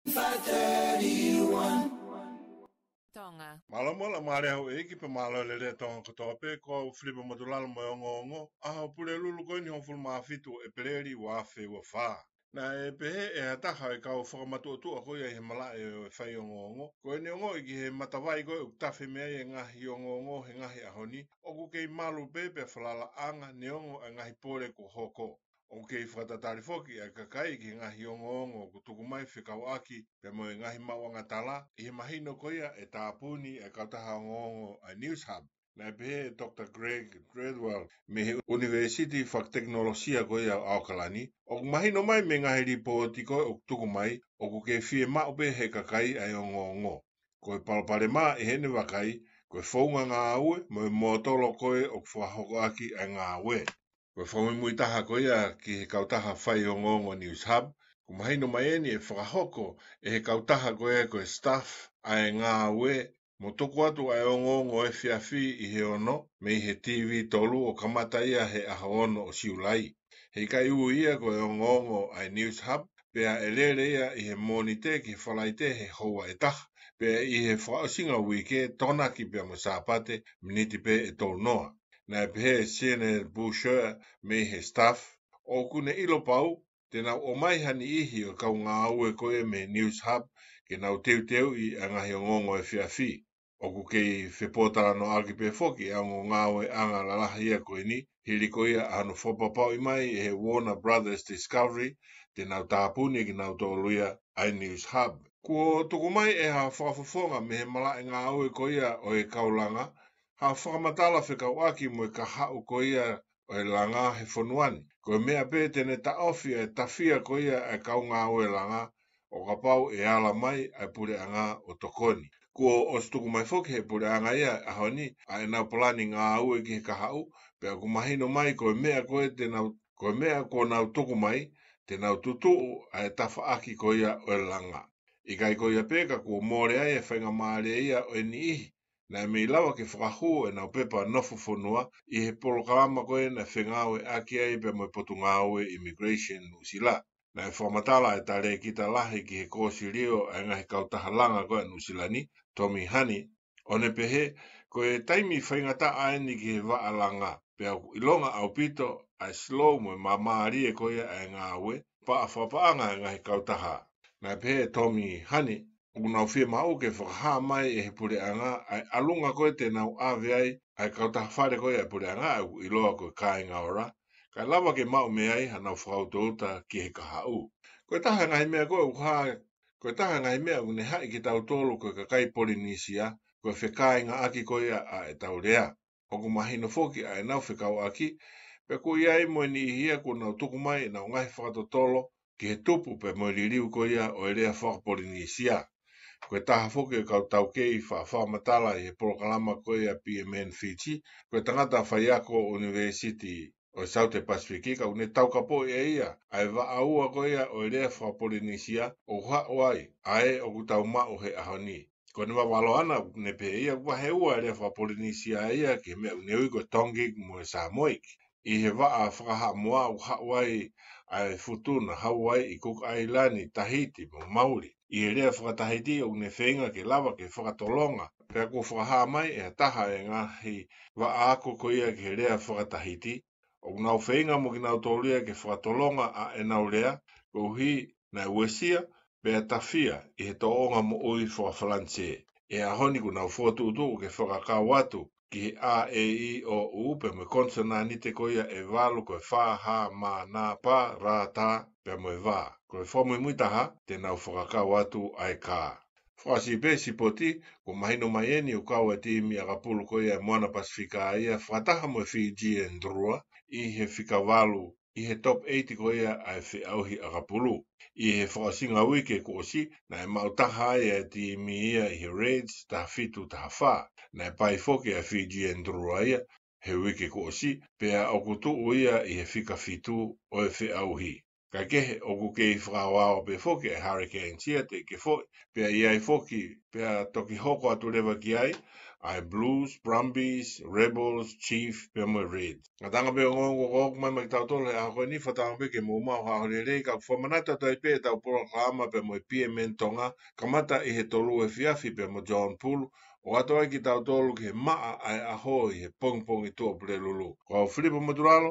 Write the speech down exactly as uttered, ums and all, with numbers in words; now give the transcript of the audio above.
five thirty-one. Tonga. Mālō mo la mālō houʻeiki pea mālō e lelei ʻa Tonga kotoa pē, ko au Filipe Motulalo mo e ongoongo, ʻaho Pulelulu ko eni hongofulu mā fitu ʻo ʻEpeleli ua afe ua fā. Naʻe pehē ʻe ha taha ʻo e kau fakamatuʻotuʻa ko ia ʻi he malaʻe ʻo e faiongoongo, ko ʻene ongoʻi ki he matavai ko ē ʻoku tafe mei ai e ngaahi ongoongo he ngaahi ʻaho ni, ʻoku kei malu pē pea falalaʻanga neongo e ngaahi pole kuo hoko. ʻOku kei fakatatali foki ʻa e kakai ki he ngaahi ongoongo ʻoku tuku mai fekauʻaki pea mo e ngaahi maʻuʻanga tala, ʻi he mahino ko ia ʻe tāpuni ʻa e kautaha ongoongo ʻa e News Hub. Naʻe pehē ʻe Doctor Greg Treadwell mei he ʻUnivēsiti Fakatekinolosia ko ia ʻo ʻAokalani, ʻoku mahino mai mei he ngaahi lipooti ko ē ʻoku tuku mai, ʻoku kei fiemaʻu pē ʻe he kakai ʻa e ongoongo. Ko e palopalema ʻi heʻene vakai, ko e founga ngāue mo e mōtolo ko ē ʻoku fakahokoʻaki ʻa e ngāue. Ko e fakamuimui taha ko ia ki he kautaha faiongoongo News Hub, ʻoku mahino mai eni ʻe fakahoko ʻe he kautaha ko ē ko e staff ʻa e ngāue mo tuku atu ʻa e ongoongo efiafi ʻi he ono mei he TV tolu ʻo kamata ia he ʻaho ono ʻo Siulai. He ʻikai ui ia ko e ongoongo ʻa e News Hub, pea ʻe lele ia ʻi he Mōnite ki he Falaite he houa ʻe taha, pea ʻi he fakaʻosinga uike, Tokonaki pea mo Sāpate, miniti pē ʻe tolu noa. Naʻe pehē ʻe Sienna Boucher mei he staff, ʻoku ne ʻilo pau te nau ʻomai ha niʻihi ʻo e kau ngāue ko ē mei he News Hub ke nau teuteuʻi ʻa e ngaahi ongoongo efiafi. ʻOku kei fepōtalanoaʻaki pē foki ʻa e ongo ngāueʻanga lalahi ia ko eni, hili ko ia ʻa hono fakapapauʻi mai ʻe he Warner Brothers Discovery te nau tāpuni kinautolu ia ʻa e News Hub. Kuo tuku mai ʻe ha fakafofonga mei he malaʻe ngāue ko ia ʻo e kau langa ha fakamatala fekauʻaki mo e kahaʻu ko ia ʻo e langa he fonua ni. Ko e meʻa pē te ne taʻofi ʻa e tafia ko ia ʻa e kau ngāue langa, ʻo kapau ʻe ala mai ʻa e puleʻanga ʻo tokoni. Kuo ʻosi tuku mai foki ʻe he puleʻanga ia he ʻaho ni ʻa ʻenau palani ngāue ki he kahaʻu, pea ʻoku mahino mai ko e meʻa ko ē te nau, ko e meʻa kuo nau tuku mai, te nau tutuʻu ʻa e tafaʻaki ko ia ʻo e langa. ʻIkai ko ia pē ka kuo mole ai e faingamālie ia ʻo e niʻihi naʻe mei lava ke fakahū ʻenau pepa nofo fonua ʻi he polokalama ko ē naʻe fengāueʻaki ai pea mo e Potungāue Immigration Nuʻusila. Naʻe fakamatala ʻa e talēkita lahi ki he kōsilio ʻa e ngaahi kautaha langa ko ē ʻa Nuʻusila ni, Tommy Honey, ʻo ne pehē, ko e taimi faingataʻa eni ki he vaʻa langa, pea ʻoku ʻilonga ʻaupito ʻa e slow mo e māmālie ko ia ʻa e ngāue, pea fakapaʻanga e ngaahi kautaha. Naʻe pehē ʻe Tommy Honey, ʻoku nau fiemaʻu ke fakahā mai ʻe he puleʻanga ʻa e ʻalunga ko ē te nau ʻave ai ʻa e kautaha fale ko ia ʻa e puleʻanga ʻoku ʻiloa ko e Kāinga Ora, kae lava ke maʻu mei ai hanau fakautouta ki he kahaʻu. Ko e taha e ngaahi meʻa ko ē ʻoku hā, ko e taha e ngaahi meʻa ʻoku ne haʻi kitautolu ko e kakai Polinisia, ko e fekāingaʻaki ko ia ʻa ʻetau lea. ʻOku mahino foki ʻa ʻenau fekauʻaki, pea ʻoku ʻi ai mo e niʻihi ia kuo nau tuku mai ʻenau ngaahi fakatotolo ki he tupu pea mo e liliu ko ia ʻo e lea faka-Polinisia. Ko e taha foki e kau taukei fakamatala ʻi he polokalama ko ia ʻa P M N Fiji, ko e tangata faiako ʻunivēsiti ʻo e Saute Pasifiki, ka ʻoku ne taukapoʻi ʻe ia ʻa e vaʻa ua ko ia ʻo e lea faka-Polinisia ʻoku haʻu ai ʻa ē ʻoku tau maʻu he ʻaho ni. Ko ʻene vavalo ʻana, ʻoku ne pehē ia ʻoku vahe ua e lea faka-Polinisia ia ki he meʻa ʻoku ne ui ko e Tongic mo e Samoic. ʻI he vaʻa faka-Haʻamoa ʻoku haʻu ai ʻa e Futuna, Hauaiʻi, Kuka ʻAilani, Tahiti mo Mauli. ʻI he lea faka-Tahiti ʻoku ne feinga ke lava ke fakatolonga, pea kuo fakahā mai ʻe ha taha e ngaahi vaʻa ako ko ia ki he lea faka-Tahiti, ʻoku nau feinga mo kinautolu ia ke fakatolonga ʻa ʻenau lea, koeʻuhi naʻe uesia pea tafia ʻi he tōʻonga moʻui faka-Falanisē. ʻI he ʻaho ni ʻoku nau fokotuʻutuʻu ke fakakau atu ki he A, E, I, O, U pea mo e konisonanite ko ia ʻe valu, ko e fa, ha, ma, na, pa, ra, ta pea mo e va. Ko e fakamuimui taha, te nau fakakau atu ʻa e ka. Fakaʻosi pē sipoti, kuo mahino mai eni ʻoku kau e timi ʻakapulu ko ia ʻa e Moana Pasifika ia fakataha mo e Fijian Drua ʻi he fika valu ʻi he top eight ko ia ʻa e feʻauhi ʻakapulu. ʻI he fakaʻosinga uike kuo ʻosi, naʻe maʻu taha ai ʻa e timi ia ʻi he Reds taha fitu taha fā. Naʻe pai foki ʻa e Fijian Drua ia he uike kuo ʻosi, pea ʻoku tuʻu ia ʻi he fika fitu ʻo e feʻauhi. Kae kehe ʻoku kei fakaaoao pē foki e Hurricanes ia teʻeki ke foʻi, pea ʻi ai foki, pea toki hoko atu leva ki ai ʻa e Blues, Brumbies, Rebels, Chiefs, pea mo e Reds. Ngataʻanga pē ongoongo ko ʻoku mai mai kitautolu he ʻaho ko eni, fakatauange pē ke mou maʻu ha ʻaho lelei, ka ʻoku fakamanatu atu ai pē ʻetau polokalama pea mo e P M N Tonga, kamata ʻi he tolu efiafi pea mo John Pulu, ʻo ʻoatu ai kitautolu ki he maʻa ʻa e ʻaho ʻi he pongipongi Tuʻapulelulu. Ko au Filipo Motulalo,